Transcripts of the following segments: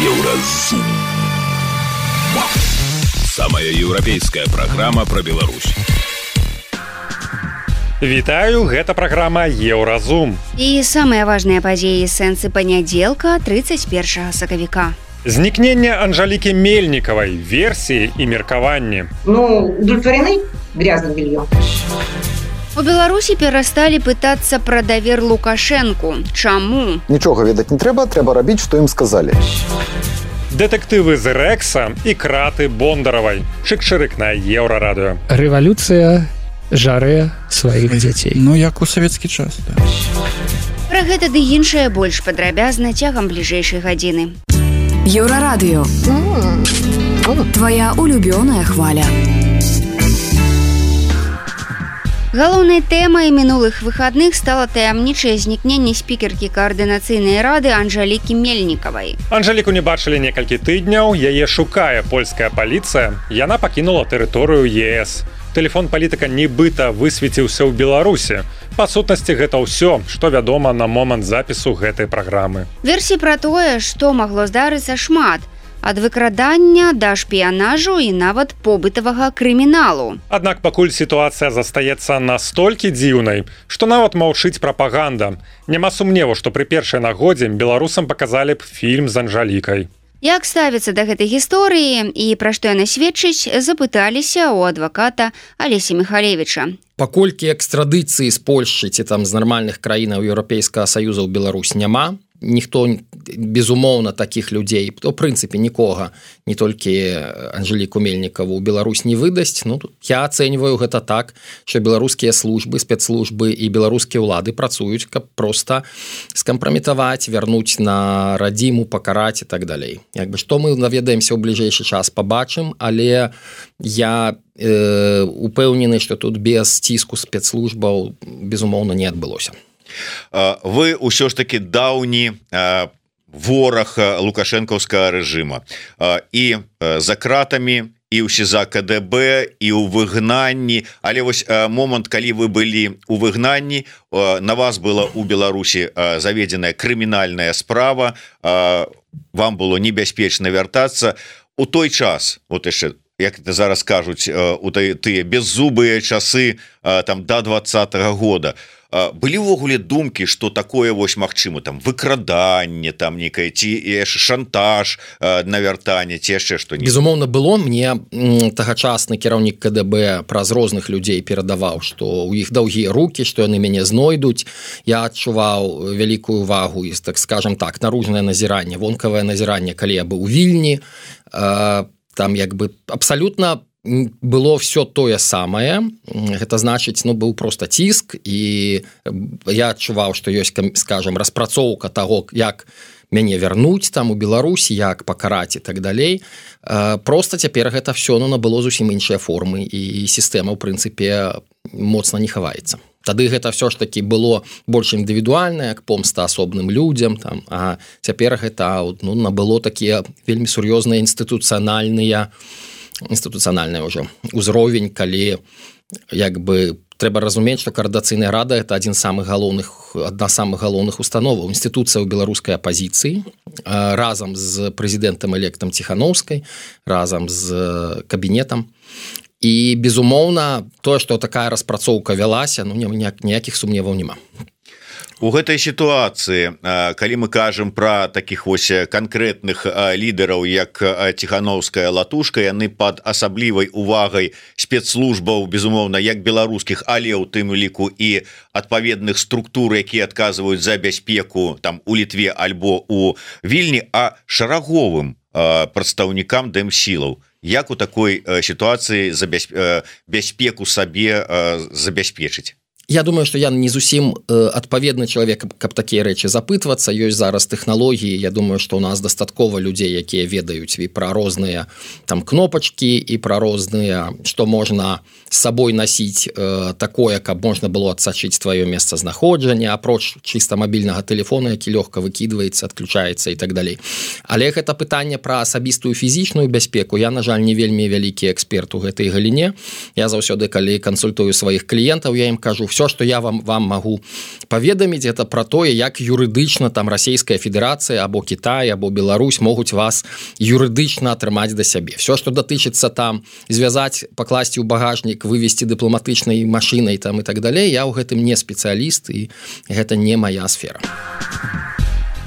Еўразум. Самая еўрапейская праграма пра Беларусь. Вітаю, гэта праграма Еўразум. І самыя важныя падзеі сэнсы панядзелка 31 сакавіка. Знікненне Анжалікі Мельнікавай, версіі і меркаванні. Удовлетворены грязным бельем. У Беларусі перасталі пытацца пра давер Лукашэнку. Чаму? Нічога ведаць не трэба, трэба рабіць, што ім сказалі. Дэтэктывы з Рэкса і краты Бондаравай. Чык-чырык на Еўрарадыё. Рэвалюцыя жарэ сваіх дзяцей. Як у савецкі час, да. Пра гэта ды іншае больш падрабязна цягам бліжэйшай гадзіны. Еўрарадыё. Твоя улюбёная хваля. Галоўнай тэмай мінулых выхадных стала таямнічае знікненне спікеркі каардынацыйнай рады Анжалікі Мельнікавай. Анжаліку не бачылі некалькі тыдняў, яе шукае польская паліцыя. Яна пакінула тэрыторыю ЕС. Тэлефон палітыка нібыта высвеціўся ў Беларусі. Па сутнасці, гэта ўсё, што вядома на момант запісу гэтай праграмы. Версій пра тое, што магло здарыцца, шмат. Ад выкрадання да шпіянажу і нават побытавага крыміналу. Аднак пакуль сітуацыя застаецца настолькі дзіўнай, што нават маўчыць прапаганда. Няма сумневу, што пры першай нагодзе беларусам паказалі б фільм з Анжалікай. Як ставіцца да гэтай гісторыі і пра што яна сведчыць, запыталіся ў адваката Алесі Міхалевіча. Паколькі экстрадыцыі з Польшчы ці там з нармальных краінаў Еўрапейскага Саюза ў Беларусь няма, ніхто, безумоўна, такіх людзей, у прынцыпе, нікога, не толькі Анжаліку Мельнікаву, ў Беларусь не выдасць. Я ацэньваю гэта так, што беларускія службы, спецслужбы і беларускія ўлады працуюць, каб проста скампраметаваць, вярнуць на радзіму, пакараць і так далей. Што мы наведаемся ў бліжэйшы час, пабачым, але я упэўнены, што тут без ціску спецслужбаў, безумоўна, не адбылося. Вы ўсё ж таки даўні вораг лукашэнкаўскага рэжыма і за кратамі, і ў СІЗА КДБ, і ў выгнанні, але вось момант, калі вы былі ў выгнанні, на вас была ў Беларусі заведзеная крымінальная справа, вам было небяспечна вяртацца. У той час, вот яшчэ, як это зараз кажуць, у тыя беззубыя часы там до 20-го года, былі ўвогуле думкі, што такое вось магчыма, там выкраданне, там некае ці яшчэ шантаж на вяртанне, ці яшчэ што-небудзь? Безумоўна, было. Мне тагачасны кіраўнік КДБ праз розных людзей перадаваў, што ў іх даўгія рукі, што яны мяне знойдуць. Я адчуваў вялікую увагу і, так скажам так, наружнае назіранне, вонкавае назіранне, калі я быў у Вільні. Там абсалютна было все тое самае. Гэта значыць, быў проста ціск, і я адчуваў, што ёсць, скажам, распрацоўка таго, як мяне вярнуць там у Беларусі, як пакараць і так далей. Проста цяпер гэта все набыло зусім іншыя формы, і сістэма, ў прынцыпе, моцна не хаваецца. Тады гэта все ж таки было больш індывідуальна, як помста асобным людзям, а цяпер гэта набыло такія вельмі сур'ёзныя інстытуцыянальны ўжо узровень, калі трэба разумець, што каардынацыйная рада это адна з самых галоўных установаў, інстытуцыя ў беларускай апазіцыі, разам з прэзідэнтам-электам Ціханаўскай, разам з кабінетам. І, безумоўна, тое, што такая распрацоўка вялася, ніякіх сумневаў няма. У гэтай сітуацыі, калі мы кажам пра такіх вось канкрэтных лідараў, як Ціханаўская, Латушка, яны пад асаблівай увагай спецслужбаў, безумоўна, як беларускіх, але ў тым ліку і адпаведных структур, якія адказваюць за бяспеку там у Літве альбо у Вільні, а шараговым прадстаўнікам дэмсілаў. Як у такой сітуацыі бяспеку сабе забяспечыць? Я думаю, што я не зусім адпаведны чалавек, каб такія рэчы запытвацца. Ёсць зараз тэхналогіі. Я думаю, што ў нас дастаткова людзей, якія ведаюць і пра розныя там кнопачкі, і пра розныя, што можна з сабой насіць такое, каб можна было адсачыць тваё месцазнаходжанне, апроч чыста мабільнага тэлефона, які лёгка выкідваецца, адключаецца і так далей. Але гэта пытанне пра асабістую фізічную бяспеку. Я, на жаль, не вельмі вялікі эксперт у гэтай галіне. Я заўсёды, калі кансультую сваіх кліентаў, я ім кажу, все что я вам могу паведаміць это про тое як юрыдычна там Расійская Федерацыя або Кітай або Беларусь могуць вас юрыдычна атрымаць да сябе все что датычыцца там звязаць пакласці ў багажнік вывесці дыпламатычнай машинай там и так далее я ў гэтым не спецыяліст і гэта не моя сфера.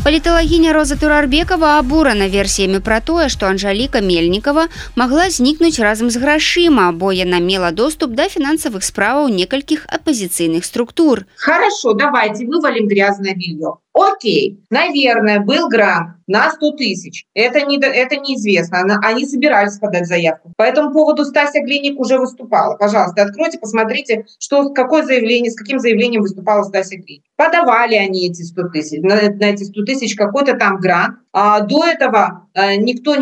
Паліталагіня Роза Турарбекова абурана версіямі пра тое, што Анжаліка Мельнікова магла знікнуць разам з грашыма, бо яна мела доступ да фінансавых справаў некалькіх апозіцыйных структур. Хорошо, давайте вывалим грязное белье. Окей, наверное, был грант на 100 тысяч. Это неизвестно. Они собирались подать заявку. По этому поводу Стася Глиник уже выступала. Пожалуйста, откройте, посмотрите, с каким заявлением выступала Стася Глиник. Подавали они эти 100 тысяч. На эти 100 тысяч какой-то там грант. А до этого никто,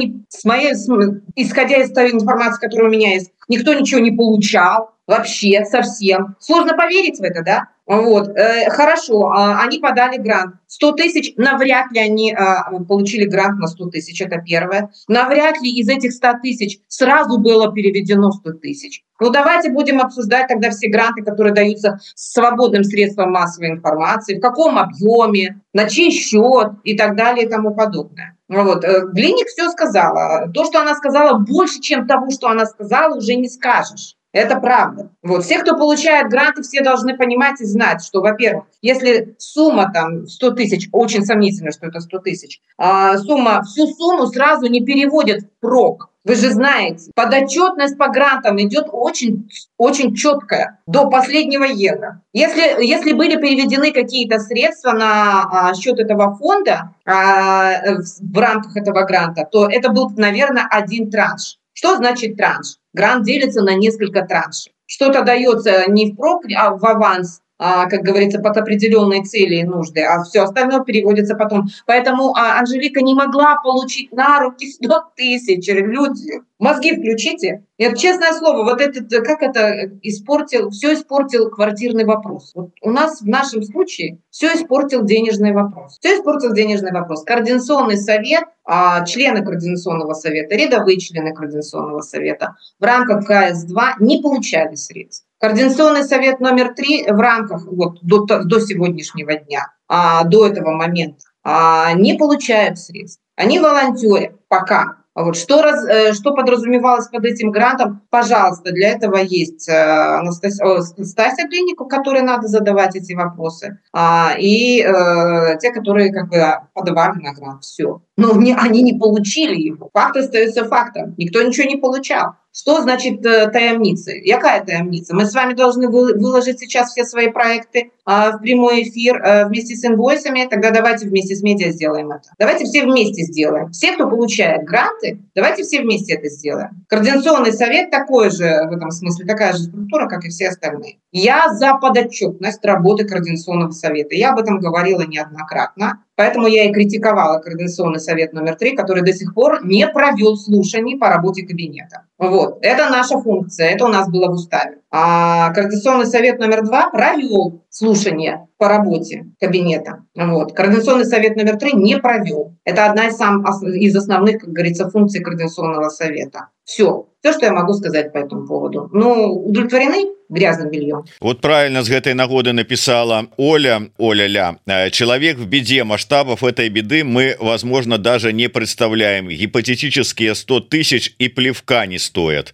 исходя из той информации, которая у меня есть, никто ничего не получал. Вообще, совсем. Сложно поверить в это, да? Вот. Хорошо, они подали грант. 100 тысяч, навряд ли они получили грант на 100 тысяч, это первое. Навряд ли из этих 100 тысяч сразу было переведено 100 тысяч. Ну, давайте будем обсуждать тогда все гранты, которые даются свободным средством массовой информации, в каком объеме, на чей счет и так далее и тому подобное. Вот. Глиник все сказала. То, что она сказала, больше, чем того, что она сказала, уже не скажешь. Это правда. Вот. Все, кто получает гранты, все должны понимать и знать, что, во-первых, если сумма там 100 тысяч, очень сомнительно, что это 100 тысяч, всю сумму сразу не переводят в прок. Вы же знаете, подотчетность по грантам идет очень, очень четкая, до последнего евро. Если были переведены какие-то средства на счет этого фонда в рамках этого гранта, то это был, наверное, один транш. Что значит транш? Грант делится на несколько траншей. Что-то дается не впрок, а в аванс, как говорится, под определенные цели и нужды, а все остальное переводится потом. Поэтому Анжелика не могла получить на руки 100 тысяч. Люди, мозги включите. Это честное слово, вот это, как это все испортил квартирный вопрос. Вот у нас в нашем случае все испортил денежный вопрос. Все испортил денежный вопрос. Координационный совет, члены Координационного совета, рядовые члены Координационного совета в рамках КС-2 не получали средств. Координационный совет номер 3 в рамках до сегодняшнего дня, до этого момента, не получают средств. Они волонтерят пока. Вот. Что подразумевалось под этим грантом? Пожалуйста, для этого есть Стася Глинику, которой надо задавать эти вопросы, и те, которые как бы подавали на грант. Все. Но они не получили его. Факт остается фактом. Никто ничего не получал. Что значит таямница? Какая таямница? Мы с вами должны выложить сейчас все свои проекты в прямой эфир вместе с инвойсами. Тогда давайте вместе с медиа сделаем это. Давайте все вместе сделаем. Все, кто получает гранты, давайте все вместе это сделаем. Координационный совет такой же, в этом смысле, такая же структура, как и все остальные. Я за подотчетность работы Координационного совета. Я об этом говорила неоднократно. Поэтому я и критиковала Координационный совет номер 3, который до сих пор не провел слушаний по работе кабинета. Вот. Это наша функция, это у нас было в уставе. А Координационный совет номер 2 провел слушания по работе кабинета. Вот. Координационный совет номер 3 не провел. Это одна из основных, как говорится, функций Координационного совета. Все, что я могу сказать по этому поводу. Ну, удовлетворены грязным бельем? Вот правильно с этой нагоды написала Оля-ля. Человек в беде, масштабов этой беды мы, возможно, даже не представляем. Гипотетические 100 тысяч и плевка не стоят.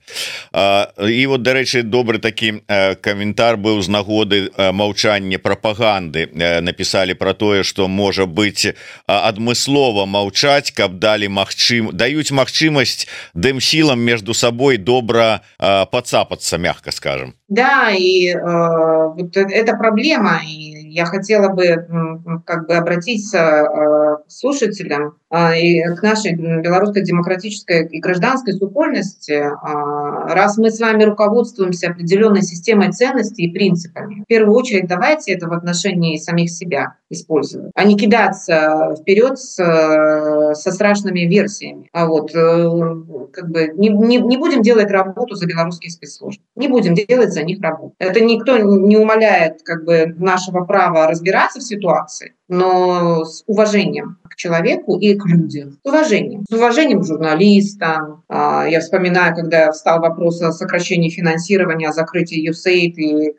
И вот, до речи, добрый таки комментар был с нагоды молчания пропаганды. Написали про то, что, может быть, адмыслова молчать, каб дали дают махчимость дым силам между собой добро подцапаться, мягко скажем. Да, и вот это проблема, и я хотела бы как бы обратиться к слушателям и к нашей белорусской демократической и гражданской супольности, раз мы с вами руководствуемся определенной системой ценностей и принципами. В первую очередь давайте это в отношении самих себя использовать, а не кидаться вперед со страшными версиями. Вот, как бы не будем делать работу за белорусские спецслужбы, не будем делать за них работу. Это никто не умаляет как бы нашего права разбираться в ситуации, но с уважением к человеку и к людям. С уважением к журналистам. Я вспоминаю, когда встал вопрос о сокращении финансирования, о закрытии USAID и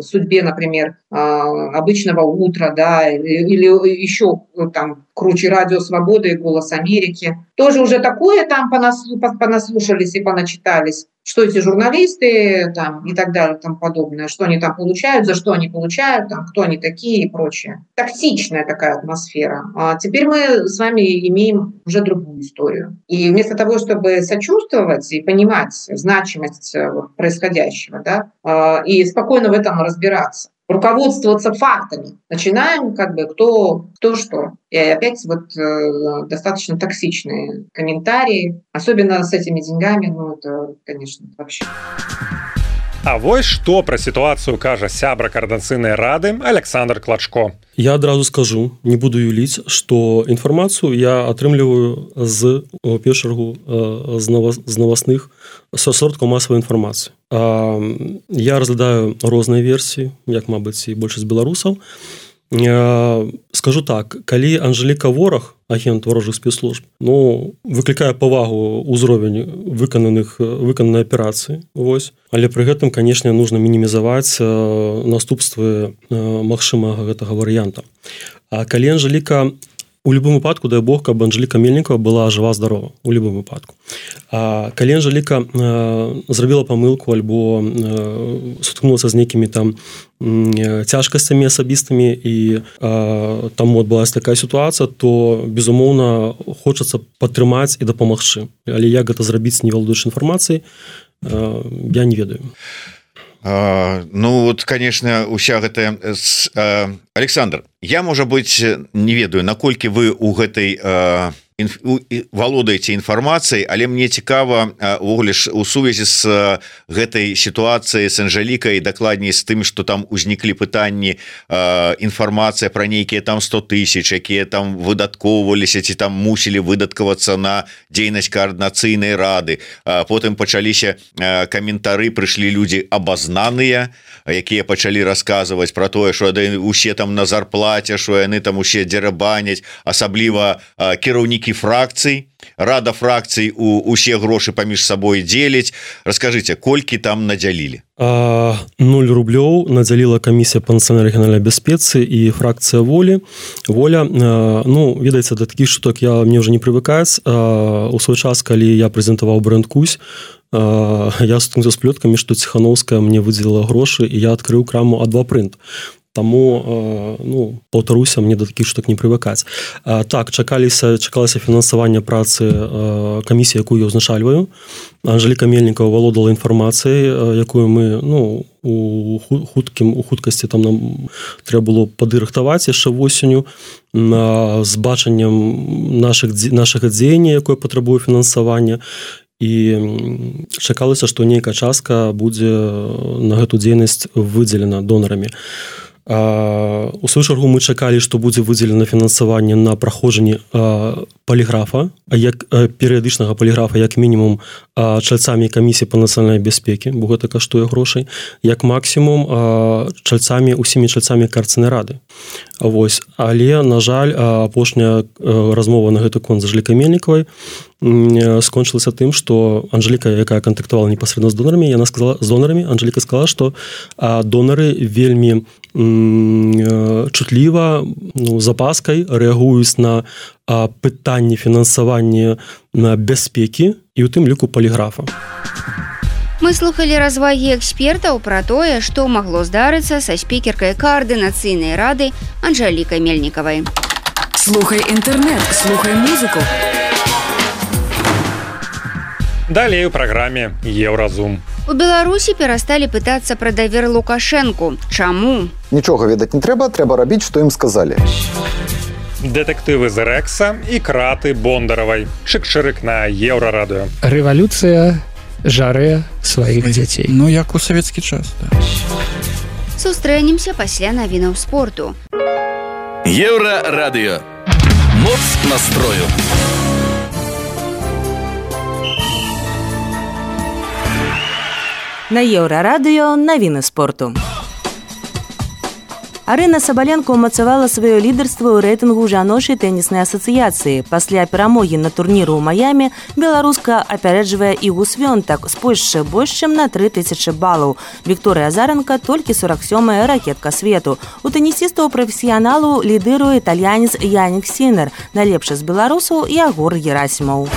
судьбе, например, обычного утра, да, или еще там круче «Радио Свободы» и «Голос Америки». Тоже уже такое там понаслушались и поначитались, что эти журналисты там и так далее, и тому подобное, что они там получают, за что они получают, там, кто они такие и прочее. Токсичная такая атмосфера. А теперь мы с вами имеем уже другую историю. И вместо того, чтобы сочувствовать и понимать значимость происходящего, да, и спокойно в этом разбираться, руководствоваться фактами. Начинаем кто что. И опять достаточно токсичные комментарии, особенно с этими деньгами, это, конечно, вообще. А вось што пра сітуацыю кажа сябра Координацыйнай рады Александр Клачко. Я адразу скажу, не буду юліць, што інфармацыю я атрымліваю з першую чаргу з новостных сродкаў масавай інфармацыі. Я разглядаю розныя версіі, як, мабыць, і большасць беларусаў. Скажу так, калі Анжеліка Вораг, агент ворожых спецслужб, выклікае павагу ўзровень выкананай аперацыі, але пры гэтым, канешне, нужно мінімізаваць наступствы магчымага гэтага варыянта. А калі Анжеліка у любым выпадку, дай Бог, каб Анжеліка Мельнікова была жива-здорова, у любым выпадку. А калі Анжеліка зрабіла памылку альбо сутыкнулася з нейкімі там цяжкасцямі асабістымі і там адбылася такая сітуацыя, то, безумоўна, хочацца падтрымаць і дапамагчы. Але як гэта зрабіць, не валодаючы інфармацыяй, я не ведаю. Конечно, уся гэтая... Александр, я, можа быць, не ведаю, наколькі вы у гэтай валодаеце інфармацыяй, але мне цікава увогуле у сувязі з гэтай сітуацыяй з Анжелікай, дакладней з тым, што там узніклі пытанні, інфармацыя пра нейкія там 100 000, якія там выдаткоўваліся ці там мусілі выдаткавацца на дзейнасць Координацыйнай рады. Потым пачаліся каментары, прыйшлі людзі абазнаныя, якія пачалі расказваць пра тое, што усе там на зарплаце, што яны там усе дзерабаняць, асабліва кіраўнікі фракцый, рада фракцый усе грошы паміж сабой дзеляць. Раскажыце, колькі там надзялілі? 0 рублёў надзяліла камісія па нацыянальнай рэгіянальнай бяспецы і фракцыя воля. Ведаеце, да такіх штук мне ўжо не прывыкаць. У свой час, калі я прэзентаваў бренд Кусь, я сутыкнуўся з плёткамі, што Ціханаўская мне выдзеліла грошы, і я адкрыў краму А2 Print. Таму, паўтаруся, мне да такіх штук не прывыкаць. Так, чакалася фінансаванне працы камісіі, якую я ўзначальваю. Анжеліка Мельнікова валодала інфармацыяй, якую мы, у хуткасці там нам трэба было падрыхтаваць яшчэ восенню з бачаннем нашага дзеяння, якое патрабуе фінансавання. І чакалася, што нейкая частка будзе на гэту дзейнасць выдзелена донарамі. У сваю чаргу мы чакалі, што будзе выдзелена фінансаванне на праходжанне паліграфа, перыядычнага паліграфа, як мінімум чальцамі камісіі па нацыянальнай бяспекі, бо гэта каштуе грошай, як максімум усімі чальцамі Координацыйнай рады. Але, на жаль, апошняя размова на гэты конт з Анжелікай Мельнікавай скончылася тым, што Анжеліка, якая кантактавала непасрэдна з донарамі, Анжеліка сказала, што донары вельмі чутліва, з апаскай рэагуюць на пытанні фінансавання бяспекі і ў тым ліку паліграфа. Мы слухали развагі экспертаў пра тое, што магло здарыцца са спікеркай Координацыйнай рады Анжелікай Мельнікавай. Слухай інтэрнэт, слухай музыку. Далей у праграме Еўразум. У Беларусі перасталі пытацца пра давер Лукашэнку. Чаму? Нічога ведаць не трэба рабіць, што ім сказалі. Дэтэктывы з Рэкса і краты Бондаравай. Чык-чырык на Еўрарадыё. Рэвалюцыя жарэ сваіх дзяцей. Як у савецкі час, да. Сустрэнемся пасля навінаў спорту. Еўрарадыё. Моц настрою. На Еўрарадыё навіны спорту. Арына Сабаленко умацавала сваё лідарства ў рэйтынгу жаночай тэніснай асацыяцыі. Пасля перамогі на турніру ў Майамі беларуска апярэджвае Ігу Свёнтак з Польшчы больш чым на 3000 балаў. Вікторыя Азаранка толькі 47-я ракетка свету. У тэнісістаў прафесіяналу лідыруе італьянец Янік Сінер, найлепшы з беларусаў Ягор Герасімаў.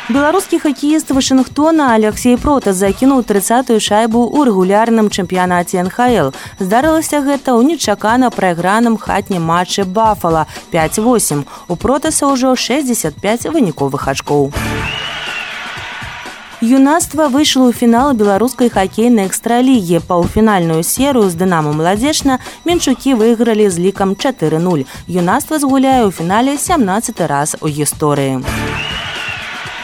Беларускі хакеіст Вашынгтона Алексей Протас закінуў 30-ю шайбу ў рэгулярным чэмпіянаце НХЛ. Здарылася гэта ў нечакана прайграным хатнім матчы Бафала 5-8. У Протаса ўжо 65 выніковых ачкоў. Юнацтва выйшло ў фінал беларускай хакейнай экстралігі. Паўфінальную серыю з Дынамо Маладзечна менчукі выйгралі з лікам 4-0. Юнацтва згуляе ў фінале 17-й раз у гісторыі.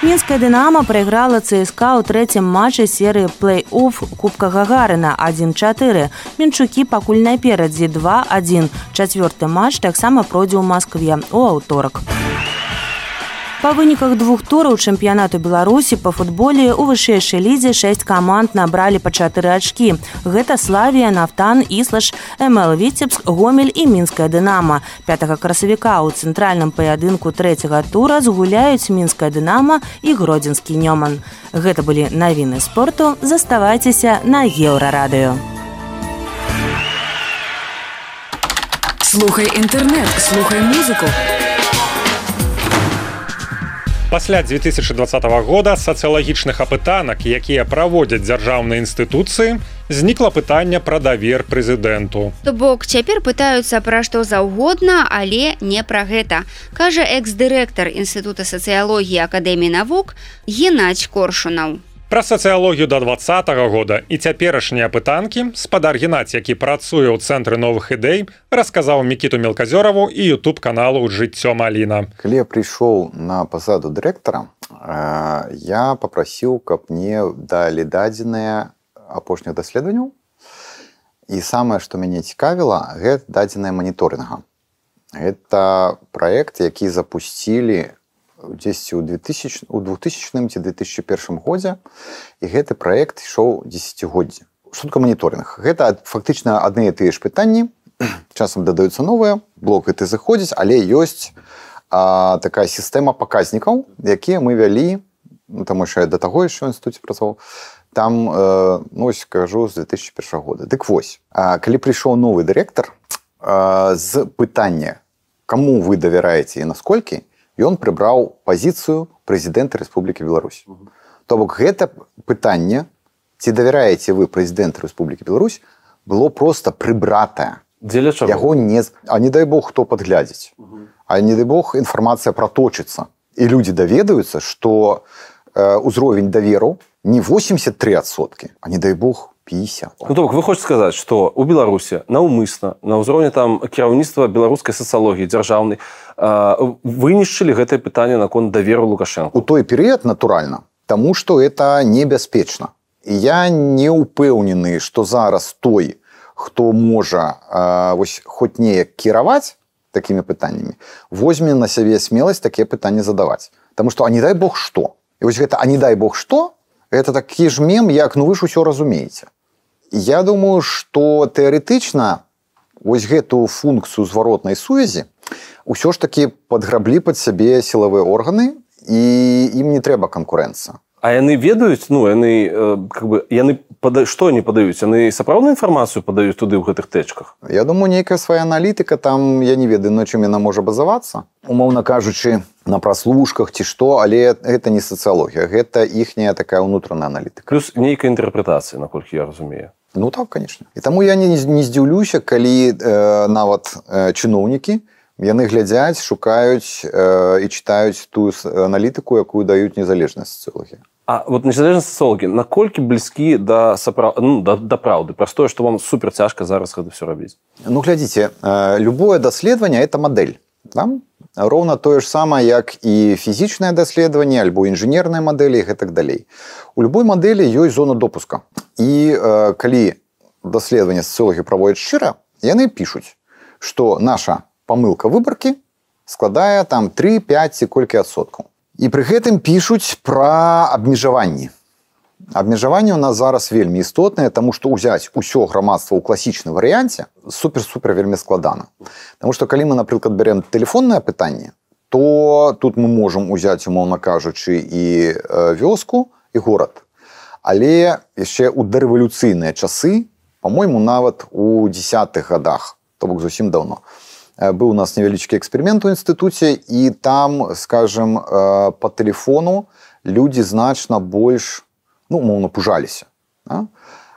Мінская «Дынамо» прайграла ЦСКА ў трэцім матчы серыі плэй-офф Кубка Гагарына 1-4. Мінчукі пакуль наперадзе 2-1. Чацвёрты матч таксама пройдзе ў Маскве ў аўторак. Па выніках двух тураў чэмпіянату Беларусі па футболе ў вышэйшай лідзе 6 каманд набралі па 4 ачкі. Гэта Славія, Нафтан, Іслаш, МЛ Віцебск, Гомель і Мінская «Дынамо». 5 красавіка ў цэнтральным паядынку 3-го тура згуляюць Мінская «Дынамо» і Гродзенскі «Нёман». Гэта былі навіны спорту. Заставайцеся на Еўрарадыё. Слухай інтэрнэт, слухай музыку. Пасля 2020 года сацыялагічных апытанак, якія праводзяць дзяржаўныя інстытуцыі, знікла пытанне пра давер прэзідэнту. То бок цяпер пытаюцца пра што заўгодна, але не пра гэта, кажа экс-дырэктар Інстытута сацыялогіі Акадэміі навук Геннадзь Коршунаў. Пра сацыялогію да 2020 года і цяперашнія апытанкі спадар Геннадзь, які працуе ў цэнтры новых ідэй, расказаў Мікіту Мелказёраву і ютуб-каналу «Жыццё Маліна». Калі я прыйшоў на пасаду дырэктара, я папрасіў, каб мне далі дадзеныя апошніх даследаванняў. І самае, што мяне цікавіла, гэта дадзеныя маніторынга. Гэта праект, які запусцілі дзесьці ў 2000 ці 2001 годзе, і гэты праект ішоў дзесяцігоддзі. Што такое маніторынг? Гэта фактычна адны і тыя ж пытанні, часам дадаюцца новыя, блок гэты заходзіць, але ёсць такая сістэма паказнікаў, якія мы вялі, таму що я да таго яшчэ ў інстытуце працаваў, там, ось, кажу, з 2001 года. Дык вось, калі прыйшоў новы дырэктар, з пытання, каму вы давяраеце і насколькі, ён прыбраў пазіцыю прэзідэнта Рэспублікі Беларусь. То бок гэта пытанне, ці давяраеце вы прэзідэнту Рэспублікі Беларусь, было проста прыбратае. Дзеля чаго? Яго не... А не дай бог, хто падглядзіць. А не дай бог, інфармацыя праточыцца. І людзі даведаюцца, што ўзровень даверу не 83%, а не дай бог 50. Ну, то бок, вы хочаце сказаць, што ў Беларусі наўмысна, на ўзроўні там кіраўніцтва беларускай сацыялогіі дзяржаўнай вынішчылі гэтае пытанне наконт даверу Лукашэнку? У той перыяд, натуральна, таму што это небяспечна. І я не ўпэўнены, што зараз той, хто можа хоць неяк кіраваць такімі пытаннямі, возьме на сябе смеласць такія пытанні задаваць. Таму што, а не дай бог што? І вось гэта, а не дай бог што? Это такі ж мем, як, ну вы ж усё разумееце. Я думаю, што тэарэтычна вось гэту функцыю зваротнай сувязі ўсё ж такі падграблі пад сябе сілавыя органы, і ім не трэба канкурэнцыя. А яны ведаюць, ну, яны, што они падаюць? Яны сапраўдную інфармацыю падаюць туды ў гэтых тэчках? Я думаю, нейкая свая аналітыка, там, я не ведаю, на чым яна можа базавацца. Умоўна кажучы, на праслушках ці што, але гэта не сацыялогія, гэта іхняя такая ўнутраная аналітыка. Плюс нейкая інтэрпрэтацыя, наколькі я разумею. Ну так, конечно. І таму я не здзіўлюся, калі нават чыноўнікі, яны глядзяць, шукаюць і чытаюць тую аналітыку, якую даюць незалежныя сацыялогі. А вот незалежныя сацыялогі, наколькі блізкі да праўды? Простое, што вам супер цяжка зараз гэта ўсё рабіць? Ну, глядзіце, любое даследаванне – это мадэль. Роўна тое ж самае, як і фізічнае даследаванне, альбо інжынерныя мадэлі і гэтак далей. У любой мадэлі ёсць зона допуска. І калі даследаванне сацыялогі праводзяць шчыра, яны пішуць, што наша памылка выбаркі складае там 3, 5 ці колькі адсоткаў. І пры гэтым пішуць пра абмежаванні. Абмежаванне у нас зараз вельмі істотнае, таму што ўзяць усё грамадства ў класічным варыянце супер-супер вельмі складана. Таму што калі мы, напрыклад, бярем тэлефоннае пытанне, то тут мы можам узяць, умоўна кажучы, і вёску, і горад. Але яшчэ ў дарэвалюцыйныя часы, па-мойму, нават у 10-х годах, то бок зусім даўно, быў у нас невялічкі эксперымент у інстытуце, і там, скажем, по тэлефону людзі значна больш, умоўна, пужаліся.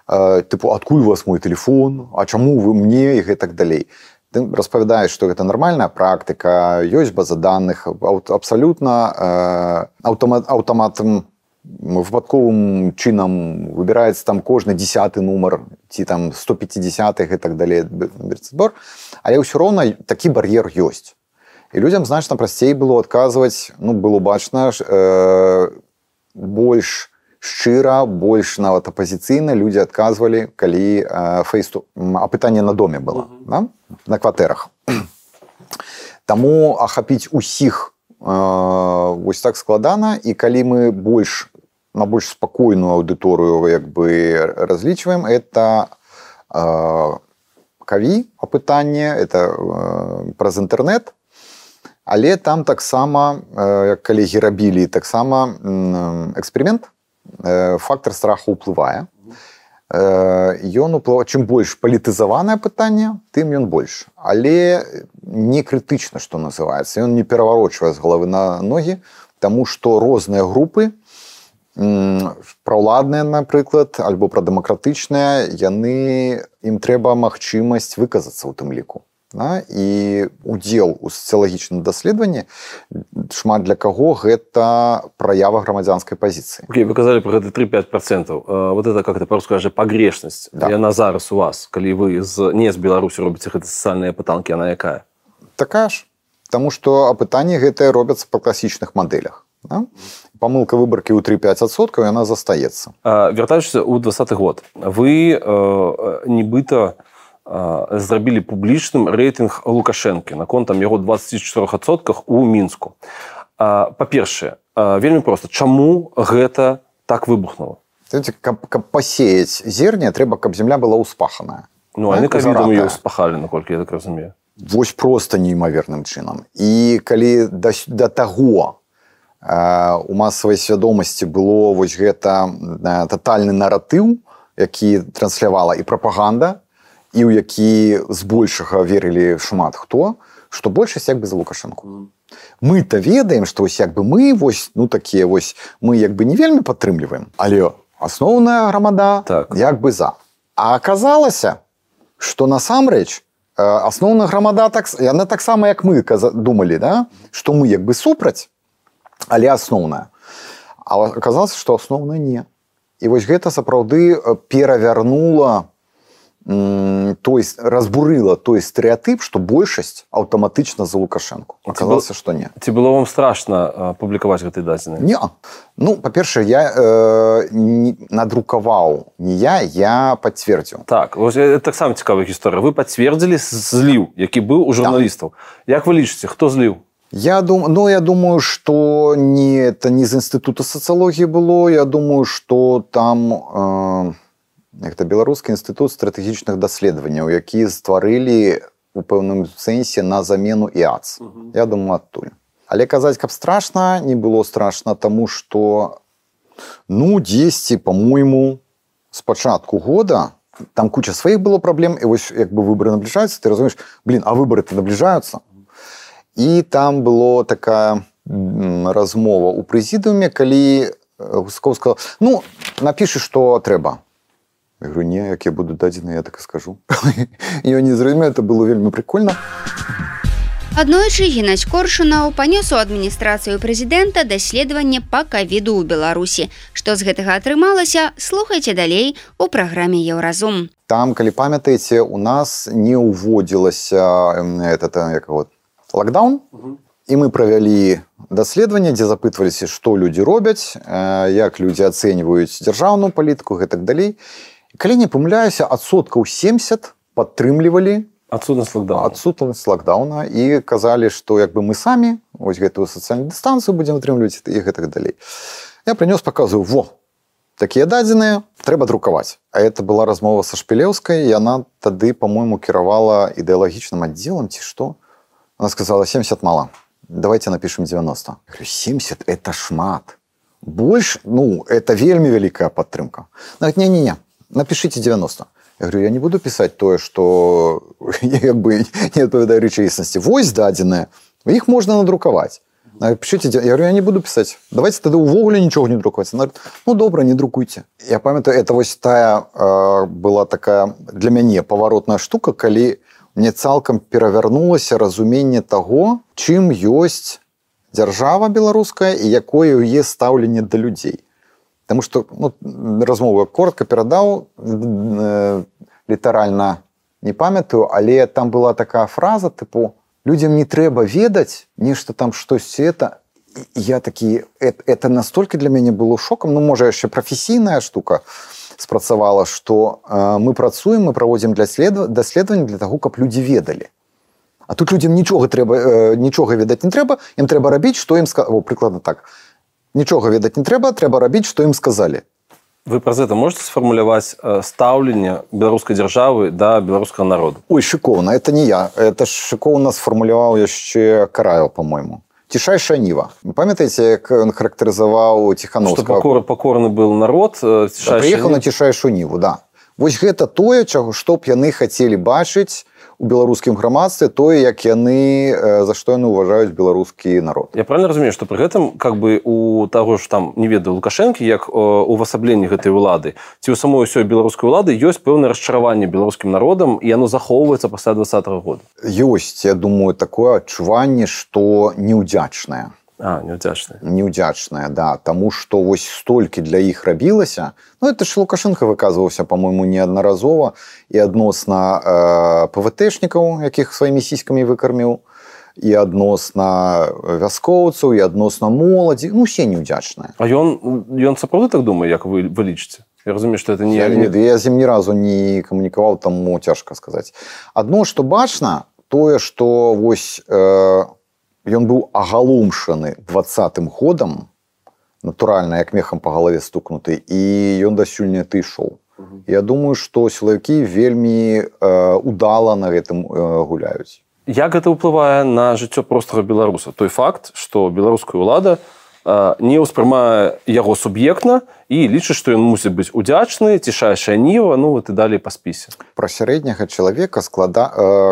Тыпу, адкуль у вас мой тэлефон, а чаму вы мне, і гэтак далей. Ты распавядаеш, што гэта нармальная практыка, ёсць база даных, абсалютна аўтаматам, выпадковым чынам выбіраецца там кожны 10-ы нумар, ці там 150-х і так далей, але ўсё роўна такі бар'ер ёсць. І людзям значна прасцей было адказваць, было бачна, больш шчыра, больш нават апазіцыйна людзі адказвалі, калі апытанне на доме было, на кватэрах. Таму ахапіць усіх вось так складана, і калі мы на больш спакойную аўдыторыю разлічваем, это каві апытанне, это праз інтэрнэт, але там таксама, як калегі рабілі, таксама эксперымент, фактор страху ўплывае. Ён уплывае, чым больш палітызаванае пытанне, тым ён больш. Але не крытычна, што называецца. Ён не пераварочвае з галавы на ногі, таму што розныя групы, праўладныя, напрыклад, альбо прадэмакратычныя, ім трэба магчымасць выказацца ў тым ліку. І удзел у сацыялагічным даследаванні шмат для каго гэта праява грамадзянскай пазіцыі. Вы казалі про гэта 3-5%. Вот это, как это по-русски кажа, пагрешнасць. Яна зараз у вас, калі вы не з Беларусі робіце гэты сацыяльныя апытанкі, яна якая? Такая ж. Таму што апытанні гэтыя робяцца па класічных мадэлях. Памылка выбаркі ў 3-5%, яна застаецца. Вяртаючыся ў 20-й год, вы нібыта зрабілі публічным рэйтынг Лукашэнкі наконт там яго 24% у Мінску. Па-першае, вельмі проста, чаму гэта так выбухнула? Каб пасеяць зерне, трэба, каб зямля была ўспаханая. Они ковідом її ўспахалі, наколькі я так разумею. Вось просто неймаверным чынам. І калі да таго у масавай свядомасці было вось гэта татальны наратыў, які транслявала і прапаганда, і ў які збольшага верылі шмат хто, што большасць як бы за Лукашэнку. Мы-то ведаем, што вось як бы мы вось, такія вось, мы як бы не вельмі падтрымліваем, але асноўная грамада як бы за. А аказалася, што насамрэч асноўная грамада, яна таксама як мы думалі, што мы як бы супраць, але асноўная. А аказалася, што асноўная не. І вось гэта сапраўды перавярнула, разбурыла той стэрэатып, што большасць аўтаматычна за Лукашэнку. Аказалася, што не. Ці было вам страшна публікаваць гэтыя дадзеныя? Не. Па-першае, я надрукаваў не я пацвердзіў. Так, это таксама цікавая гісторыя. Вы пацвердзілі зліў, які быў у журналістаў. Як вы лічыце, хто зліў? Я думаю, што это не з інстытута сацыялогіі было. Я думаю, што там гэта Беларускі інстытут стратэгічных даследаванняў, які стварылі у пэўным сэнсе на замену ІАЦ. Я думаю, адтуль. Але казаць, каб страшна, не было страшна, таму што дзесьці, па-мойму, з пачатку года там куча сваіх было праблем, і вось як бы выбары набліжаюцца, ты разумееш, а выбары-то набліжаюцца. І там была такая размова ў прэзідыуме, калі Гускоў сказаў, напішы, што трэба. Я говорю, не, як я буду дадзены, я так і скажу. І ён не зразумеў, это было вельмі прикольна. Аднойчы Геннадзь Коршунаў панёс у адміністрацыю прэзідэнта даследаванне па ковіду ў Беларусі. Што з гэтага атрымалася, слухайце далей у праграме Еўразум. Там, калі памятаеце, у нас не ўводзілася лакдаун, і мы правялі даследаванне, дзе запытваліся, што людзі робяць, як людзі ацэньваюць дзяржаўную палітыку, гэтак далей. Калі не памыляюся, 70% падтрымлівалі адсутнасць лакдауна і казалі, што як бы мы самі вось гэтую сацыяльную дыстанцыю будзем атрымліваць і гэтак далей. Я прынёс, паказваю, такія дадзеныя трэба друкаваць. А это была размова са Шпілеўскай, і яна тады, по-моему, кіравала ідэалагічным аддзелам ці што. Она сказала, 70 мало, давайте напишем 90. Я говорю, 70 – это шмат. Больше, это вельмі вялікая падтрымка. Не-не-не, напишите 90. Я говорю, я не буду писать тое, что не адпавядае рэчаіснасці. Вось дадзеныя, іх можна надрукаваць. Напишите, я говорю, я не буду писать. Давайте тогда увогуле ничего не друкаваць. Она говорит, добра, не друкуйте. Я памятаю, это вось тая была такая для мяне паваротная штука, калі мне цалкам перавярнулася разуменне таго, чым ёсць дзяржава беларуская і якое яе стаўленне да людзей. Потому что размову я коротко перадаў, літаральна не памятаю, але там была такая фраза, типу, людям не трэба ведаць нешта там штось это. І я такі, это настолько для мяне было шоком, можа яшчэ прафесійная штука спрацавала, што мы працуем, мы праводзім даследаванні для таго, каб людзі ведалі. А тут людям нічога ведаць не трэба, ім трэба рабіць, што ім сказалі. Прыкладна так. Нічога ведаць не трэба, трэба рабіць, што ім сказалі. Вы праз гэта можете сфармуляваць стаўленне беларускай дзяржавы да беларускага народа? Ой, шыкоўна, это не я. Это шыкоўна сфармуляваў яшчэ Караеў, по-моему. Цішайшая ніва. Памятаеце, як ён характарызаваў Ціхановскага? Што пакорны был народ, прыехаў на цішайшую ніву, да. Вось гэта тое, што б яны хацелі бачыць у беларускім грамадстве, тое, як яны, за што яны ўважаюць беларускі народ. Я правильно разумею, што пры гэтым у таго ж там, не ведаю, Лукашэнкі, як увасабленні гэтай улады, ці ў самой усёй беларускай улады ёсць пэўнае расчараванне беларускім народам, і яно захоўваецца пасля 2020 года? Ёсць, я думаю, такое адчуванне, што неўдзячнае. Неўдзячнае. Неўдзячнае, да. Таму што вось столькі для іх рабілася. Это ж Лукашенко выказваўся, по-моему, неаднаразова і адносна ПВТшнікаў, якіх сваімі сіськамі выкарміў, і адносна вяскоўцаў, і адносна моладзі. Усе неўдзячныя. А ён сапраўды так думае, як вы лічыце? Я разумею, што это не... Я з ім ні разу не камунікаваў, таму цяжка сказаць. Адно, што бачна, тое, што вось... Ён быў агаломшаны 20-м годам, натуральна, як мехам па галаве стукнуты, і ён дасюль не ішоў. Я думаю, што сілавікі вельмі удала на гэтым гуляюць. Як гэта ўплывае на жыццё простага беларуса? Той факт, што беларуская ўлада не ўспрымае яго суб'ектна і лічыць, што ён мусіць быць удзячны, цішайшая ніва, і далей па спісе. Пра сярэдняга чалавека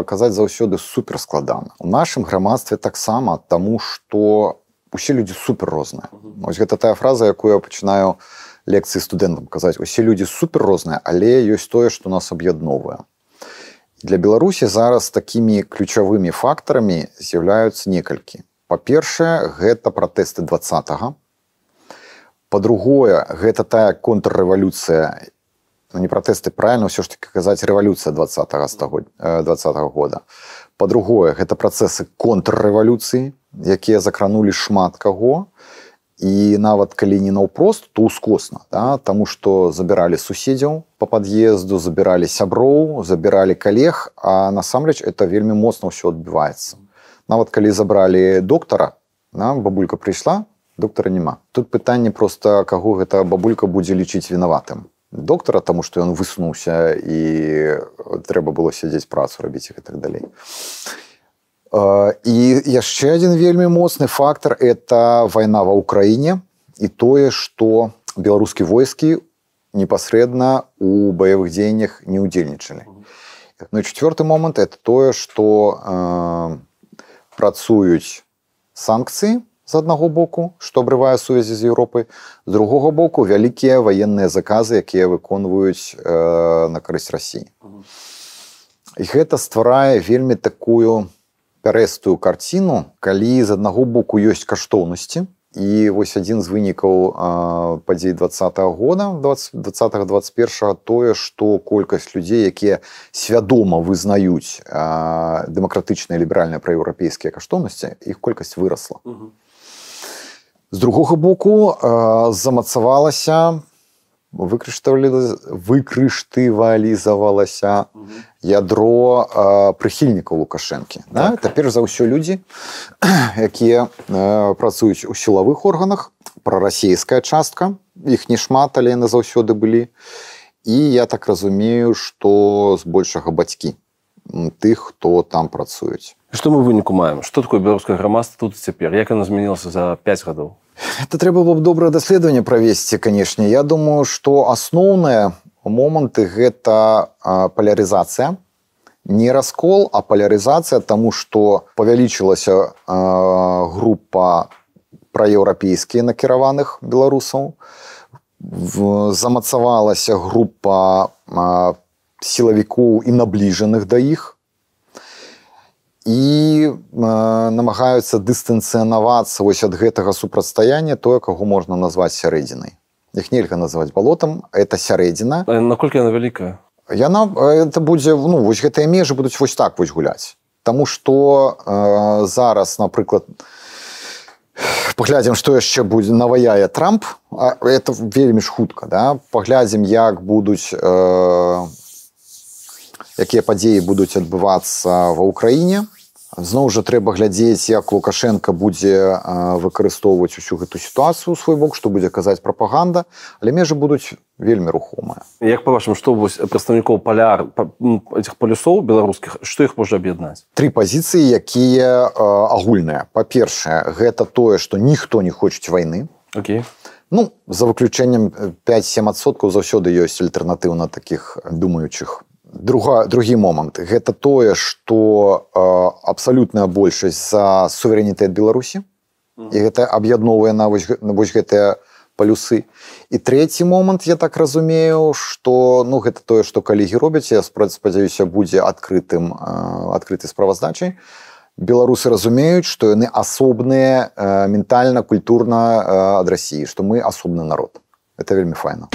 казаць заўсёды суперскладана. У нашым грамадстве таксама, таму што усе людзі супер розныя. Вось гэта тая фраза, якую я пачынаю лекцыі студэнтам казаць. Усе людзі супер розныя, але ёсць тое, што нас аб'ядноўвае. Для Беларусі зараз такімі ключавымі фактарамі з'яўляюцца некалькі. Па-першае, гэта пратэсты 20-го. Па-другое, гэта тая контррэвалюцыя, не пратэсты, правильно ўсё ж таки казаць, рэвалюцыя 20-го года. Па-другое, гэта працэсы контррэвалюцыі, якія закранулі шмат каго, і нават калі не наўпрост, то ускосна, да? Таму што забіралі суседзяў па пад'езду, забіралі сяброў, забіралі калег, а насамрэч это вельмі моцна ўсё адбіваецца. Нават калі забралі доктара, бабулька прыйшла, доктара няма. Тут пытанне проста, каго гэта бабулька будзе лічыць вінаватым. Доктара, таму што ён высунуўся і трэба было сядзець працу рабіць і так далей. І яшчэ адзін вельмі моцны фактар – это вайна ва ўкраіне і тое, што беларускія войскі непасрэдна у баявых дзеяннях не ўдзельнічалі. Ну і чацвёрты момант – это тое, што працуюць санкцыі з аднаго боку, што абрывае сувязі з Еўропай, з другога боку вялікія ваенныя заказы, якія выконваюць на карысць Расіі. І гэта стварае вельмі такую пярэстую карціну, калі з аднаго боку ёсць каштоўнасці, і вось адзін з вынікаў падзей 20-го года, 20-21-го, тое, што колькасць людзей, якія свядома вызнаюць дэмакратычныя ліберальныя праеўрапейскія каштоўнасці, іх колькасць вырасла. З другога боку замацавалася, выкрыштывалізавалася ядро прыхільнікаў Лукашэнкі. Это перш за ўсё людзі, якія працуюць у сілавых органах, прарасійская частка, іх не шмат, але яны заўсёды былі. І я так разумею, што збольшага бацькі тых, хто там працуюць. Што мы выніку маем? Што такое беларускае грамадства тут і цяпер? Як яно змянілася за 5 гадоў? Это трэба было б добрае даследаванне правесці, канешне. Я думаю, што асноўныя моманты гэта палярызацыя. Не раскол, а палярызацыя, таму што павялічылася група праеўрапейскія накіраваных беларусаў, замацавалася група сілавікоў і набліжаных да іх і намагаюцца дыстанцыянавацца вось ад гэтага супрацьстаяння тое, каго можна назваць сярэдзінай. Іх нельга называць балотам, это сярэдзіна. Наколькі яна вялікая? Это будзе, вось гэтыя межы будуць вось так вось гуляць. Таму што зараз, напрыклад, паглядзім, што яшчэ будзе наваяе Трамп, это вельмі ж хутка, да? Паглядзім, як будуць, якія падзеі будуць адбывацца ва ўкраіне. Зноў жа трэба глядзець, як Лукашенко будзе выкарыстоўваць усю гэту сітуацыю ў свой бок, што будзе казаць прапаганда, але межы будуць вельмі рухомыя. Як па-вашаму, што вось прадстаўнікоў этих палюсоў беларускіх, што іх можа аб'яднаць? 3 пазіцыі, якія агульныя. Па-першае, гэта тое, што ніхто не хочуць вайны. Окей. За выключэннем 5-7% заўсёды ёсць альтэрнатыўна такіх думаючых. Другі момант. Гэта тое, што абсалютная большасць за суверэнітэт Беларусі. І гэта аб'ядноўвае на вось гэтыя палюсы. І трэці момант, я так разумею, што гэта тое, што калегі робяць, я спадзяюся, будзе адкрытай справаздачай. Беларусы разумеюць, што яны асобныя ментальна, культурна ад Расіі, што мы асобны народ. Это вельмі файна.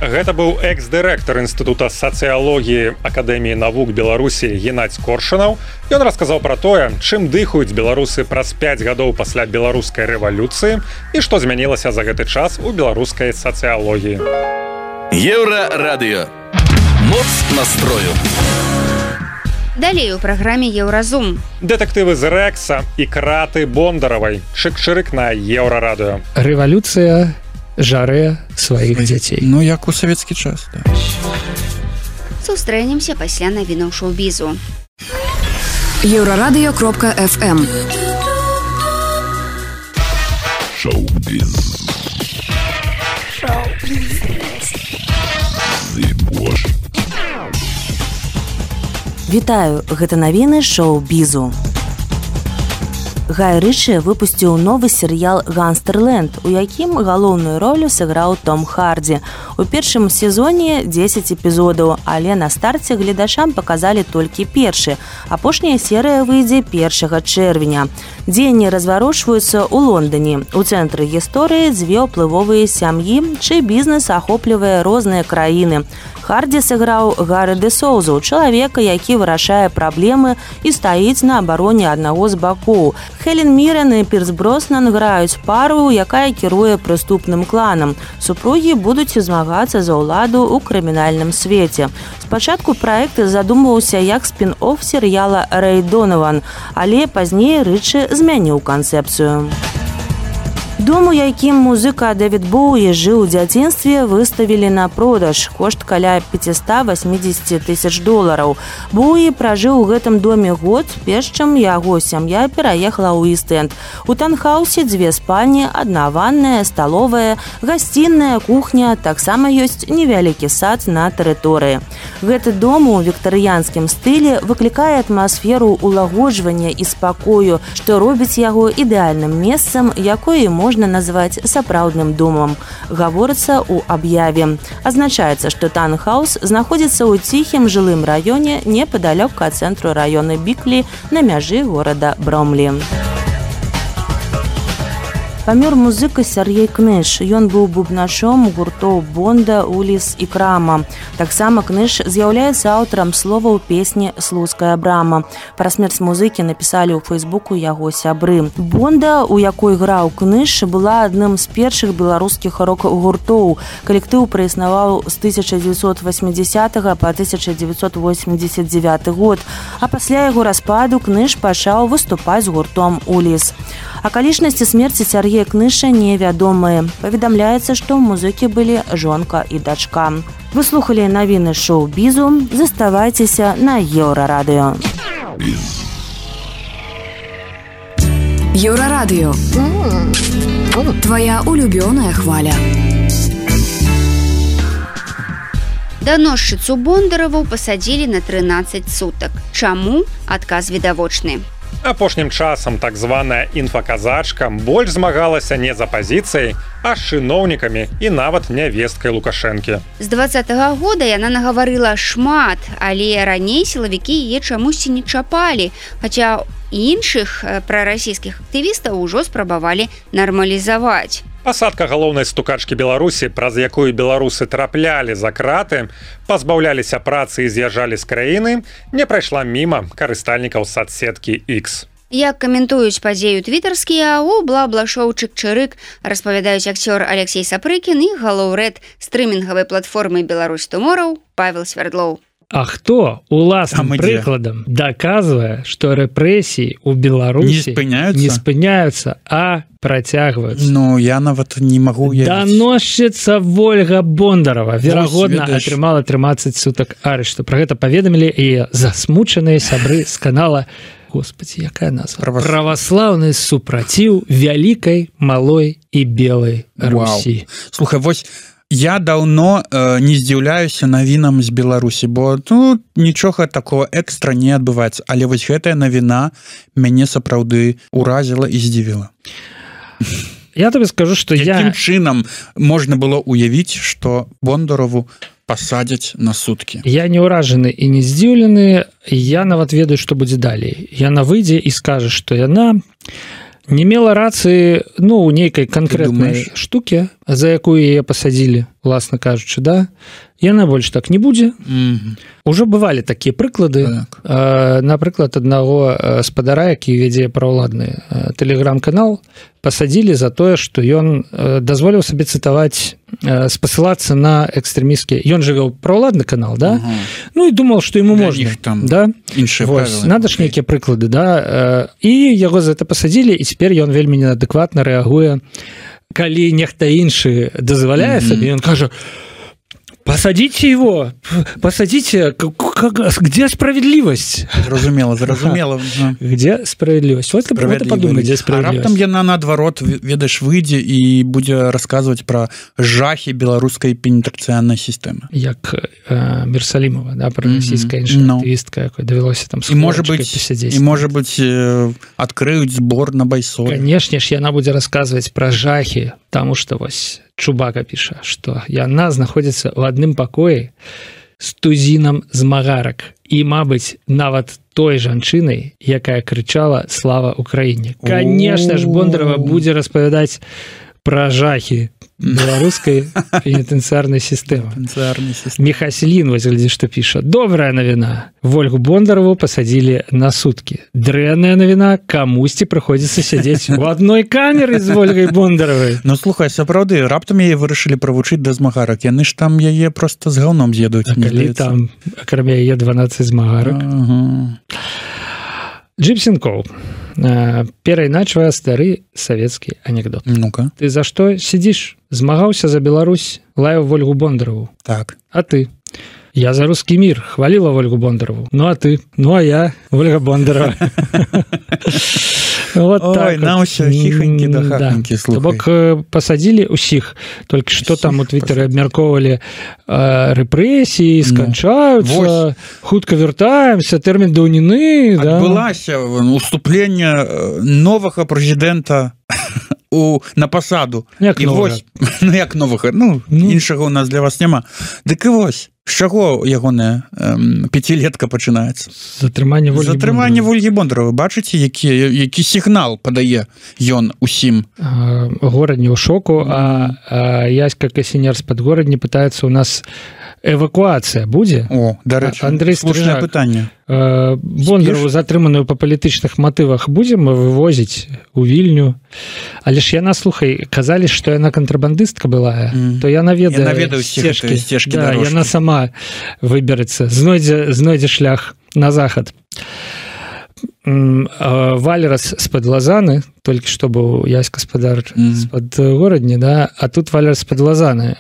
Гэта быў экс-дырэктар Інстытута сацыялогіі Акадэміі навук Беларусі Геннадзь Коршунаў. Ён расказаў пра тое, чым дыхаюць беларусы праз 5 гадоў пасля беларускай рэвалюцыі і што змянілася за гэты час у беларускай сацыялогіі. Еўрарадыё. Моц настрою. Далей у праграме Еўразум. Дэтэктывы з Рэкса і краты Бондаравай. Чык-чырык на Еўрарадыё. Рэвалюцыя жаре сваіх дзяцей. Як у савецкі час, да. Сустрэнемся пасля навінаў шоу-бізу. Еўрарадыё.фм. Шоу-біз. Вітаю, гэта навіны шоу-бізу. Гай Рычы выпусціў новы серыял «Гангстэрленд», у якім галоўную ролю сыграў Том Хардзі. У першым сезоне 10 эпізодаў, але на старце гледачам паказалі толькі першы. Апошняя серыя выйдзе 1 чэрвеня. Дзеянні разварочваюцца ў Лондоне. У цэнтры гісторыі 2 ўплывовыя сям'і, чый бізнес ахоплівае розныя краіны. Хардзі сыграў Гары де Соузу, чалавека, які вырашае праблемы і стаіць на абароне аднаго з бакоў. Хелен Мірен і Пірс Броснан граюць пару, якая кіруе прыступным кланам. Супругі будуць змагацца за ўладу ў крымінальным свеце. Спачатку праект задумваўся як спін-офф серыяла «Рэй Донаван», але пазней Рычы змяніў канцэпцыю. Дом, у якім музыка Дэвід Боуі жыў у дзяцінстве, выставілі на продаж. Кошт каля $580 000. Боуі пражыў у гэтым доме год, перш чым яго сям'я пераехала ў Іст-Энд. У танхаусе 2 спальні, 1 ванная, сталовая, гасцінная, кухня, таксама ёсць невялікі сад на тэрыторыі. Гэты дом у віктарыянскім стылі выклікае атмасферу улагоджвання і спакою, што робіць яго ідэальным месцам, якое можна назваць сапраўдным домам. Гаворыцца ў аб'яве. Азначаецца, што танхаус знаходзіцца ў ціхім жылым раёне непадалёк ад цэнтру раёна Біклі на мяжы горада Бромлі. Памёр музыка Сяргей Кныш. Ён быў бубначом гуртоў Бонда, Уліс і Крама. Таксама Кныш з'яўляецца аўтарам словаў песні «Слуцкая брама». Пра смерць музыкі напісалі ў фэйсбуку яго сябры. Бонда, у якой граў Кныш, была адным з першых беларускіх рок-гуртоў. Калектыў праіснаваў з 1980 па 1989 год, а пасля яго распаду Кныш пачаў выступаць з гуртом «Уліс». Акалічнасці смерці Сяргея Другія кнышы невядомыя. Паведамляецца, што ў музыкі былі жонка і дачка. Вы слухалі навіны шоу-бізу. Заставайцеся на Еўрарадыё. Еўрарадыё. Твоя улюбёная хваля. Даносчыцу Бондарову пасадзілі на 13 сутак. Чаму? Адказ відавочны. Апошнім часам так званая інфаказачка больш змагалася не з апазіцыяй, а з чыноўнікамі і нават нявесткай Лукашэнкі. З 20-го года яна нагаварыла шмат, але раней сілавікі яе чамусьці не чапалі, хаця іншых прарасійскіх актывістаў ужо спрабавалі нармалізаваць. Пасадка галоўнай стукачкі Беларусі, праз якую беларусы траплялі за краты, пазбаўляліся працы і з'язджалі з краіны, не прайшла міма карыстальнікаў садсеткі X. Як каментуюць падзею твітарскія, у бла-бла-шоу «Чык-чырык» распавядаюць акцёр Алексей Сапрыкін і галоўрэд стрымінгавай платформы «Беларусь Tomorrow» Павел Свердлоў. А хто уласным прыкладам даказвае, што рэпрэсіі ў Беларусі не спыняюцца, а працягваюцца? Ну, я нават не магу уявіць. Даносчыца Вольга Бондарова, верагодна, атрымала 13 сутак арышту. Пра гэта паведамілі і засмучаныя сябры з канала, господи, якая назва? Праваслаўны супраціў вялікай, малой і белай Русі. Слухай, вось я даўно не здзіўляюся навінам з Беларусі, бо тут нічога такого экстра не адбываецца, але вось гэтая навіна мяне сапраўды уразіла і здзівіла. Я табе скажу, што якім чынам можна было уявіць, што Бондарову пасадзяць на суткі? Я не ўражаны і не здзіўлены, я нават ведаю, што будзе далей. Яна выйдзе і скажа, што яна не мела рацыі, ну, у нейкай канкрэтнай штукі, за якую яе пасадзілі, уласна кажучы, да? Яна больш так не будзе. Ужо бывалі такія прыклады. Напрыклад, аднаго спадара, які вядзе праўладны тэлеграм-канал, пасадзілі за тое, што ён дазволіў сабе цытаваць, спасылацца на экстрэмісцкія. Ён жа вёў праўладны канал, да? Ну і думаў, што яму можна. Да? Вось, надо ж нейкія прыклады, да? І яго за гэта пасадзілі, і цяпер ён вельмі неадэкватна рэагуе. Калі нехта іншы дазваляе сабе, ён кажа: посадите его, посадите, где справедливость? Зразумела. Где справедливость? Вот ты подумай, где справедливость. А раптам яна, наадварот, ведаеш, выйдзе і будзе расказваць пра жахі беларускай пенітэнцыярнай сістэмы. Як Мерсалімова, да, пра расійская іншая актывістка, якой давялося там з хворачкай пасядзець. І, можа быць, адкрыюць збор на байсоль. Канешне ж, яна будзе расказваць пра жахі, таму што вось Чубака піша, што яна знаходзіцца ў адным пакоі з тузінам змагарак і, мабыць, нават той жанчынай, якая крычала «Слава Украіне». Канешне ж, Бондарова будзе распавядаць пра жахі беларускай пенітэнцыярнай сістэмы. Міхаслін, вось глядзі, што піша: добрая навіна, Вольгу Бондарову пасадзілі на суткі. Дрэнная навіна, камусьці прыходзіцца сядзець у адной камеры з Вольгай Бондаровай. Ну, слухай, сапраўды, раптам яе вырашылі правучыць да змагарак. Яны ж там яе проста з гаўном з'едуць. А калі там, акрамя яе, 12 змагарак. Джипсенкоў. Перайначвае стары савецкі анекдот. Ну-ка. Ты за што сидзіш? Змагаўся за Беларусь, лаяў Вольгу Бондарову. Так. А ты? Я за русский мир, хвалила Вольгу Бондарову. Ну а ты? Ну а я, Вольга Бондарова. Вот так. Ой, на ўсё хіханькі да хаханькі, слухай. Бок пасадзілі ўсіх, толькі што там у твітары абмяркоўвалі рэпрэсіі, сканчаюцца, хутка вяртаемся, тэрмін даўніны. Адбылася уступленне новага прэзідэнта на пасаду. Як новага? Ну, як новага? Ну, іншага у нас для вас няма. Дык і вось, з чаго ягоная пяцілетка пачынаецца? Затрыманне Вольгі Бондарова. Бачыце, які сігнал падае ён усім? Горад не ў шоку, а Яська Касінер з Падгорадні пытаецца у нас эвакуацыя будзе? О, дарэчы, слушнае пытанне. Бондарову, затрыманую па палітычных матывах, будзем вывозіць у Вільню. Але ж яна, слухай, казалі, што яна кантрабандыстка была, то яна ведае сцежкі. Да, яна сама выберацца, знойдзе шлях на захад. Валерас з-пад Лазаны, толькі што быў Ясь гаспадар з-пад горадні, да? А тут Валерас з-пад Лазаны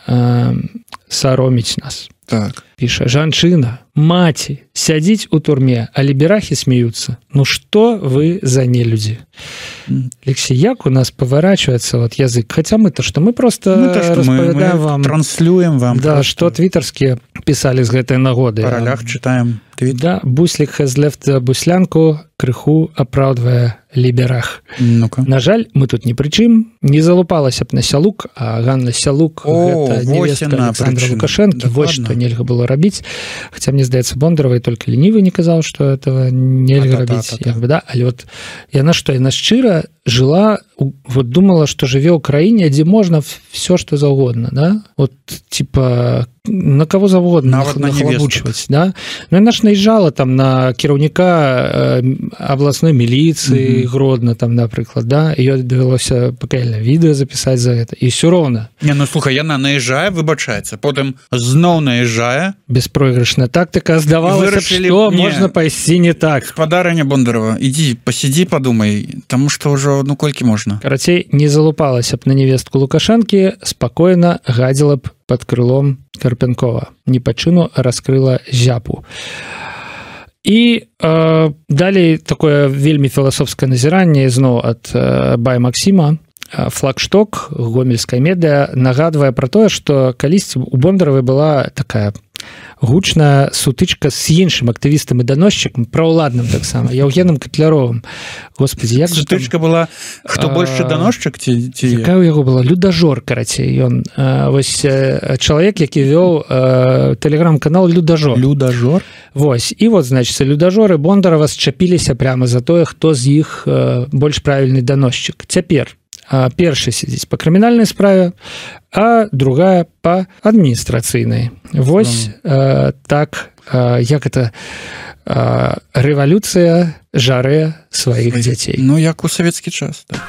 сароміць нас. Так. Піша, жанчына, маці, сядзіць у турме, а ліберахі смеются. Ну что вы за нелюдзі? Алексей, як у нас поворачивается вот язык? Хотя мы-то что? Мы просто распавядаем вам... Транслюем вам. Да, что твиттерские писали з гэтай нагоды. По ролях читаем. Да, Буслик has left буслянку, крыху апраўдвае ліберах. Ну-ка. На жаль, мы тут не пры чым. Не залупалася б на Сялук, а Ганна Сялук, гэта невестка Александра Лукашэнкі. Вось што нельга было рабіць. Хаця, мне здаецца, Бондаровай только ленівы не казаў, што этого нельга рабіць. Да? Але вот яна што, яна шчыра жила, вот думала, что жыве ў краіне, дзе можна все что заўгодна, да? Вот типа на кого завгодна нахлабучваць, да? Ну яна ж наезжала там на кіраўніка абласной міліцыі Гродно там, напрыклад, да? Ёй давялося пакаяльнае відэа запісаць за гэта, і ўсё роўна. Не, ну слухай, яна наезжае, выбачаецца, потым зноў наезжае. Беспройгрышная тактыка, здавалася, што можна пайсці не так. Гаспадарыня Бондарова, ідзі, пасядзі, падумай, таму што ўжо ну колькі можна. Карацей, не залупалася б на невестку Лукашэнкі, спакойна гадзіла б под крылом Карпенкова. Не па чыну раскрыла зяпу. І далей такое вельмі філасофскае назіранне зноў ад Бай Максіма. Флагшток гомельскай медыа нагадвае пра тое, што калісьці у Бондаравай была такая гучная сутычка з іншым актывістам і даносчыкам, праўладным таксама, Яўгенам Катляровым. Господи, як же сутычка была, хто большы даносчык ці якая ў яго была? Людажор, карацей. Ён вось чалавек, які вёў тэлеграм-канал Людажор. Людажор? Вось. І вот, значит, Людажоры Бондарова счапіліся прямо за тое, хто з іх больш правільны даносчык. Цяпер першы сядзіць па крымінальнай справе, а другая па адміністрацыйнай. Вось так, як это рэвалюцыя жарэ сваіх дзяцей. Ну, як у савецкі час, так.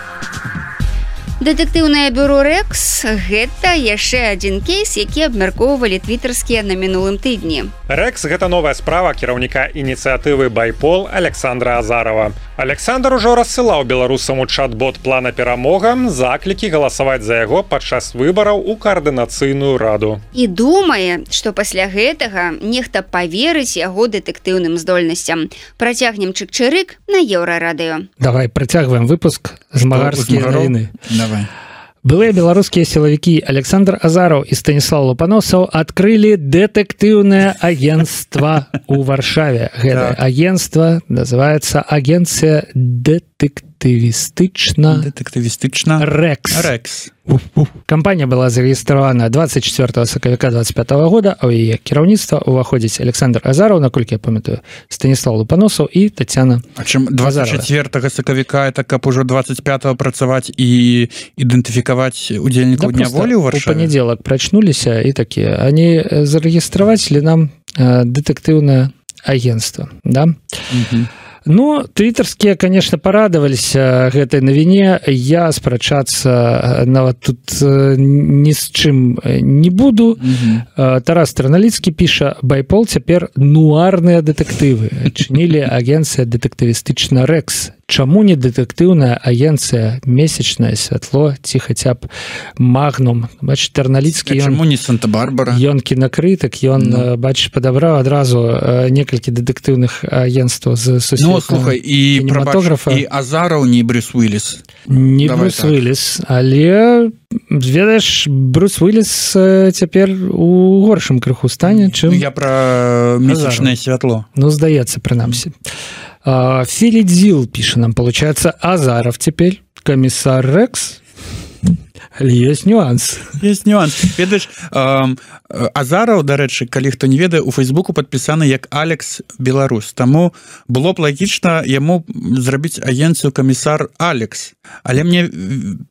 Дэтэктыўнае бюро Рекс – гэта яшчэ адзін кейс, які абмяркоўвалі твіттерскія на мінулым тыдні. Рекс – гэта новая справа кіраўніка ініцыятывы Байпол Александра Азарова. Александр ужо рассылаў беларусам у чат-бот плана перамога заклікі галасаваць за яго падчас выбараў у каардынацыйную раду. І думае, што пасля гэтага нехта паверыць яго дэтэктыўным здольнасцям. Працягнем чык-чырык на Еўрарадыё. Давай, працягваем выпуск «Змагарскія навіны». Давай. Былыя беларускія сілавікі Александр Азараў і Станіслав Лупаносаў адкрылі дэтэктыўнае агенцтва ў Варшаве. Гэта агенцтва называецца агенцыя дэтэктывістычна Рекс. Кампанія была зарэгістравана 24 сакавіка 25 года, а ў яе кіраўніцтва ўваходзіць Александр Азараў, наколькі я памятаю, Станіслав Лупаносаў і Тацяна. А чым 24 сакавіка, это каб ужо 25 працаваць і ідэнтыфікаваць удзельнікаў дня волі ў Варшаве? У панядзелак прачнуліся і такія. Они зарэгістраваць ли нам дэтэктыўнае агенцтва, да? Ну, твиттерские, конечно, порадоваліся гэтай навіне. Я спрачацца нават тут ні з чым не буду. Тарас Тэрналіцкі піша: Байпол цяпер нуарныя дэтэктывы. Адчынілі агенцыя дэтэктывістычна Рекс. Чаму не дэтэктыўная агенцыя месячнае святло ці хаця б Магнум? Бачыш, Тэрналіцкі, чаму не Санта-Барбара? Ён кінакрытык, ён, бачыш, падабраў адразу некалькі дэтэктыўных агенцтваў з сусветнага кінематографа. І Азараў не Брюс Уиллис. Не Брюс Уиллис, але ведаеш, Брюс Уиллис цяпер у горшым крыху стане, чым я пра месячнае святло. Ну, здаецца, прынамсі. Филидзил пишет нам, получается, Азаров теперь комиссар Рекс. Есть нюанс. Есть нюанс. Ведаеш, Азараў, дарэчы, калі хто не ведае, у Фейсбуку падпісаны як Алекс Беларусь. Таму было б лагічна яму зрабіць агенцыю камісар Алекс. Але мне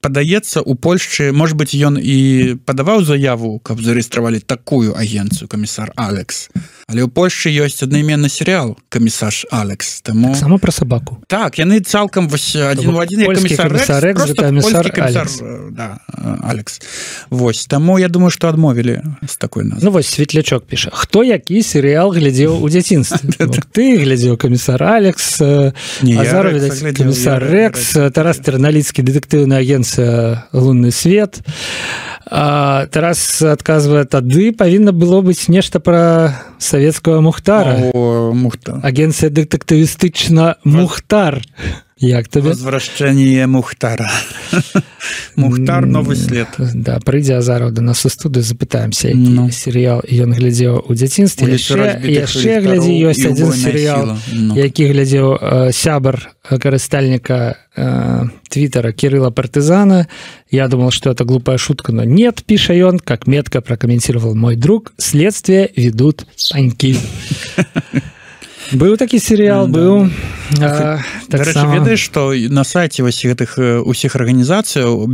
падаецца, у Польшчы, может быть, ён і падаваў заяву, каб зарэгістравалі такую агенцыю камісар Алекс. Але ў Польшчы ёсць аднайменны серыял камісар Алекс. Таму... Так само пра сабаку. Так, яны цалкам адзін у адзін як камісар Рекс. Просто польскі камісар Алекс. Да. Алекс. Вось таму я думаю што адмовілі з такой назвы. Ну вось светлячок піша хто які серыял глядзеў у дзяцінстве ты глядзеў камісар Алекс Азаров камісар Рекс Тарас Тэрналіцкі дэтэктыўная агенцыя лунны свет Тарас адказвае тады павінна было быць нешта пра савецкага Мухтара агенцыя дэтэктывістычна Мухтар як табе возвращение Мухтара Мухтар новый след да прыйдзе Азаров да нас у студыю запытаемся які серыял ён глядзеў у дзяцінстве яшчэ глядзі ёсць адзін серыял які глядзеў сябар карыстальніка твиттера Кирилла Партизана. Я думал, что это глупая шутка, но нет, пиша ён, как метко прокомментировал мой друг, следствие ведут паньки. Быў такі серыял быў ведаеш што на сайце вось гэтых усіх арганізацыяў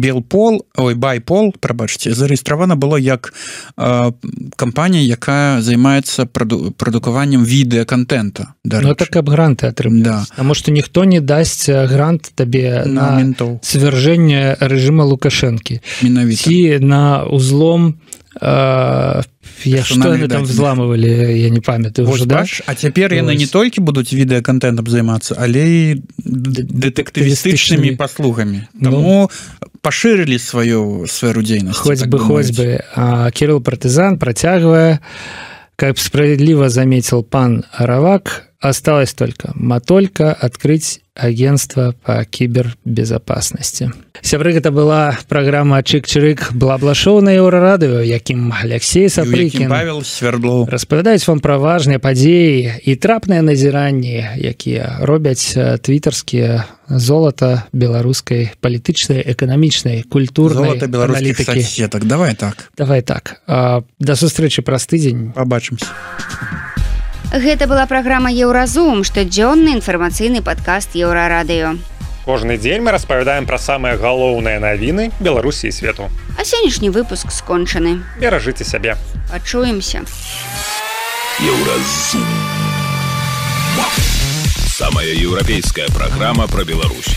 байпол прабачце зарэгістравана было як кампанія якая займаецца прадукаваннем відэаконтента так каб гранты атрымаць таму што ніхто не дасць грант табе на свяржэнне рэжыма Лукашэнкі ці на узлом что они там взламывали, я не памятаю уже, да? А цяпер яны не толькі будуць відэаконтентам займацца, але і дэтэктывістычнымі паслугамі. Таму пашырылі сваю сферу дзейнасці. Хоць бы. Кирилл Партизан працягвае, как справедливо заметил пан Аравак, осталось только матолька открыть агентство по кибербезопасности. Сябры, это была программа Чик-Чирик Бла-Бла-шоу на Еўрарадыё, якім Алексей Сапрыкін Павел Свердлоў распавядаюць вам пра важныя падзеі і трапныя назіранні, якія робяць твітарскія золата беларускай палітычнай, эканамічнай, культурнай аналітыкі. Давай так. Да сустрэчы праз тыдзень. Пабачымся. Гэта была праграма Еўразум, штодзённы інфармацыйны падкаст Еўрарадыё. Кожны дзень мы распавядаем пра самыя галоўныя навіны Беларусі і свету. А сённяшні выпуск скончаны. Беражыце сябе. Пачуемся. Еўразум. Самая еўрапейская праграма пра Беларусь.